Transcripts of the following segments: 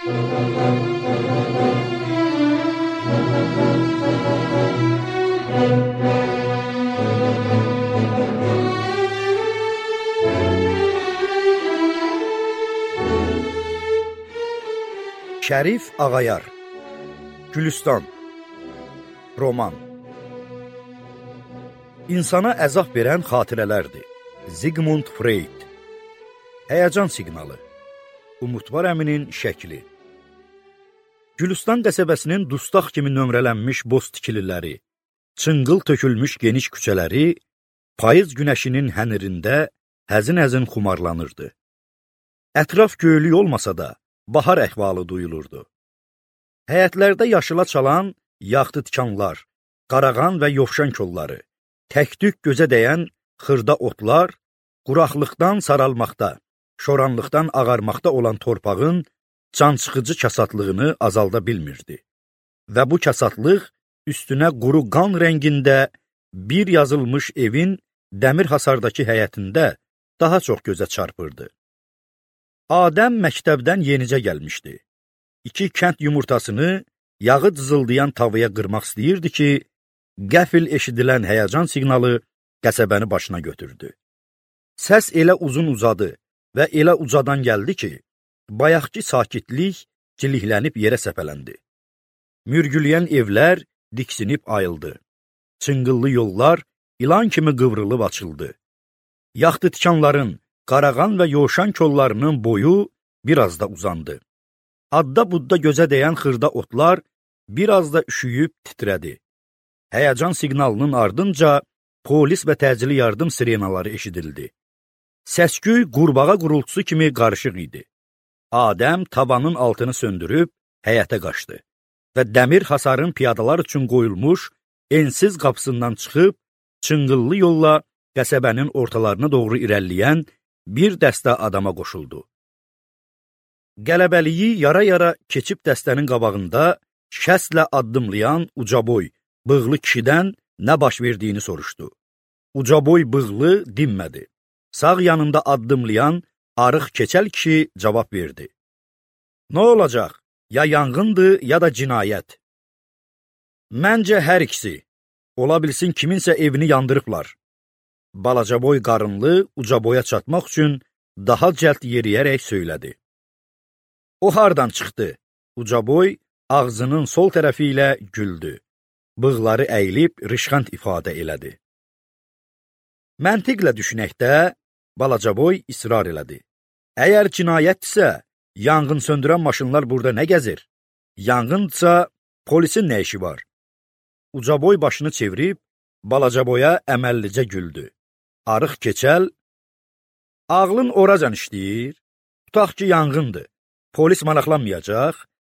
Şərif Ağayar, Gülüstan, Roman. İnsana əzab verən xatirələrdir. Zigmund Freud. Həyəcan siqnalı. Umudvar əminin şəkli. Gülüstan qəsəbəsinin dustaq kimi nömrələnmiş boz tikililəri, çınqıl tökülmüş geniş küçələri, payız günəşinin hənirində həzin-həzin xumarlanırdı. Ətraf göylük olmasa da, bahar əhvalı duyulurdu. Həyətlərdə yaşıla çalan yaxtı tikanlar, qarağan və yovşan kolları, tək-tük gözə dəyən xırda otlar, quraqlıqdan saralmaqda, şoranlıqdan ağarmaqda olan torpağın cansıxıcı kasatlığını azalda bilmirdi. Və bu kasatlıq üstünə quru qan rəngində bir yazılmış evin dəmir hasardakı həyətində daha çox gözə çarpırdı. Adəm məktəbdən yenicə gəlmişdi. 2 kənd yumurtasını yağı cızıldayan tavaya qırmaq istəyirdi ki, qəfil eşidilən həyəcan siqnalı qəsəbəni başına götürdü. Səs elə uzun uzadı və elə ucadan gəldi ki, bayaqki sakitlik cilihlənib yerə səpələndi. Mürgüləyən evlər diksinib ayıldı. Çınqıllı yollar ilan kimi qıvrılıb açıldı. Yaxtı tikanların, qarağan və yoşan kollarının boyu biraz da uzandı. Adda-budda gözə dəyən xırda otlar biraz da üşüyüb titrədi. Həyəcan siqnalının ardınca polis və təcili yardım sirenaları eşidildi. Səsküy qurbağa qurultusu kimi qarışıq idi. Adəm tavanın altını söndürüb həyətə qaçdı və dəmir hasarın piyadalar üçün qoyulmuş ensiz qapısından çıxıb çınqıllı yolla qəsəbənin ortalarına doğru irəliləyən bir dəstə adama qoşuldu. Qələbəliyi yara-yara keçib dəstənin qabağında şəslə addımlayan ucaboy, bığlı kişidən nə baş verdiyini soruşdu. Ucaboy bığlı dinmədi. Sağ yanında addımlayan arıq keçəl kişi cavab verdi. Nə olacaq? Ya yanğındır, ya da cinayət. Məncə hər ikisi. Ola bilsin kiminsə evini yandırıblar. Balacaboy qarınlı ucaboya çatmaq üçün daha cəld yeriyərək söylədi. O hardan çıxdı? Ucaboy ağzının sol tərəfi ilə güldü. Bığları əyilib rışxant ifadə elədi. Məntiqlə düşünəkdə Balacaboy israr elədi. Əgər cinayətdirsə, yanğın söndürən maşınlar burada nə gəzir? Yanğındırsa, polisin nə işi var? Ucaboy başını çevirib Balacaboya əməllicə güldü. Arıq keçəl, ağlın oracan işləyir, tutaq ki, yanğındır. Polis maraqlanmayacaq,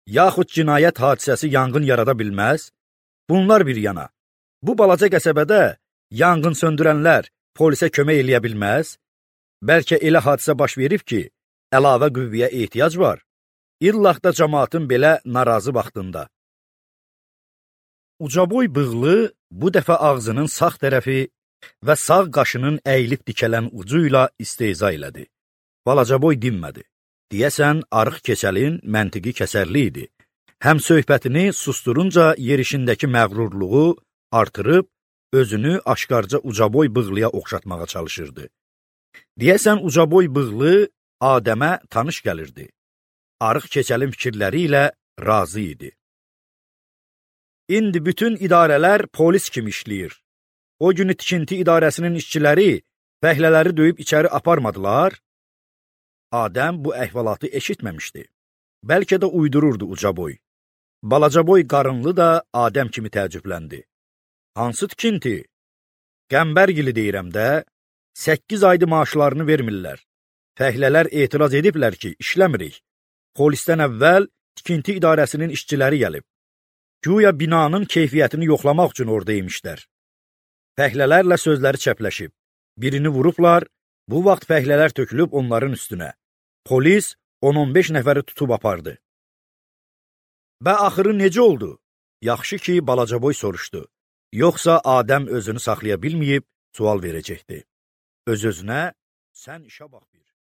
yaxud cinayət hadisəsi yanğın yarada bilməz. Bunlar bir yana. Bu balaca qəsəbədə yanğın söndürənlər polisə kömək eləyə bilməz. Bəlkə elə hadisə baş verib ki, əlavə qüvvəyə ehtiyac var. İllaq da cəmaatın belə narazı vaxtında. Ucaboy bığlı bu dəfə ağzının sağ tərəfi və sağ qaşının əyilib dikələn ucu ilə istehza elədi. Balacaboy dinmədi. Deyəsən, arıq keçəlin məntiqi kəsərli idi. Həm söhbətini susturunca yerişindəki məğrurluğu artırıb, özünü aşkarca ucaboy bığlıya oxşatmağa çalışırdı. Deyəsən, ucaboy bığlı Adəmə tanış gəlirdi. Arıq keçəlin fikirləri ilə razı idi. İndi bütün idarələr polis kimi işləyir. O günü tikinti idarəsinin işçiləri fəhlələri döyüb içəri aparmadılar. Adəm bu əhvalatı eşitməmişdi. Bəlkə də uydururdu ucaboy. Balacaboy qarınlı da Adəm kimi təəccübləndi. Hansı tikinti? Qəmbərgili deyirəm də, 8 aydı maaşlarını vermirlər. Fəhlələr etiraz ediblər ki, işləmirik. Polisdən əvvəl tikinti idarəsinin işçiləri gəlib. Güya binanın keyfiyyətini yoxlamaq üçün orada imişlər. Fəhlələrlə sözləri çəpləşib. Birini vurublar, bu vaxt fəhlələr tökülüb onların üstünə. Polis 10-15 nəfəri tutub apardı. Və axırı necə oldu? Yaxşı ki, Balacaboy soruşdu. Yoxsa Adəm özünü saxlaya bilməyib sual verəcəkdi. Öz-özünə, sən işə bax bir.